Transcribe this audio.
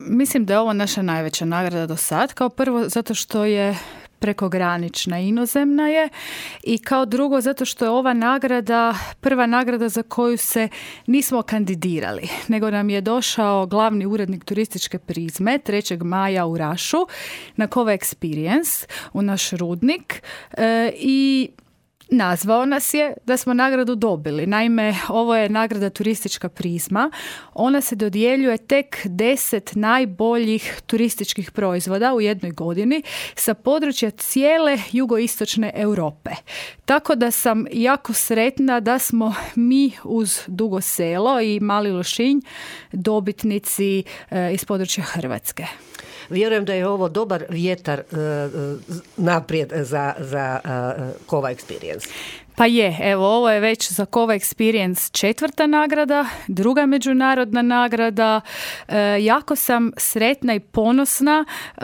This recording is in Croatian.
Mislim da je ovo naša najveća nagrada do sad. Kao prvo zato što je prekogranična, inozemna je, i kao drugo zato što je ova nagrada prva nagrada za koju se nismo kandidirali, nego nam je došao glavni urednik turističke Prizme 3. maja u Rašu na Cova Experience u naš rudnik i nazvao nas je da smo nagradu dobili. Naime, ovo je nagrada Turistička Prizma. Ona se dodjeljuje tek 10 najboljih turističkih proizvoda u jednoj godini sa područja cijele jugoistočne Europe. Tako da sam jako sretna da smo mi uz Dugo Selo i Mali Lošinj dobitnici iz područja Hrvatske. Vjerujem da je ovo dobar vjetar naprijed za Cova Experience. Pa je, evo, ovo je već za Cova Experience 4. nagrada, 2. međunarodna nagrada. Jako sam sretna i ponosna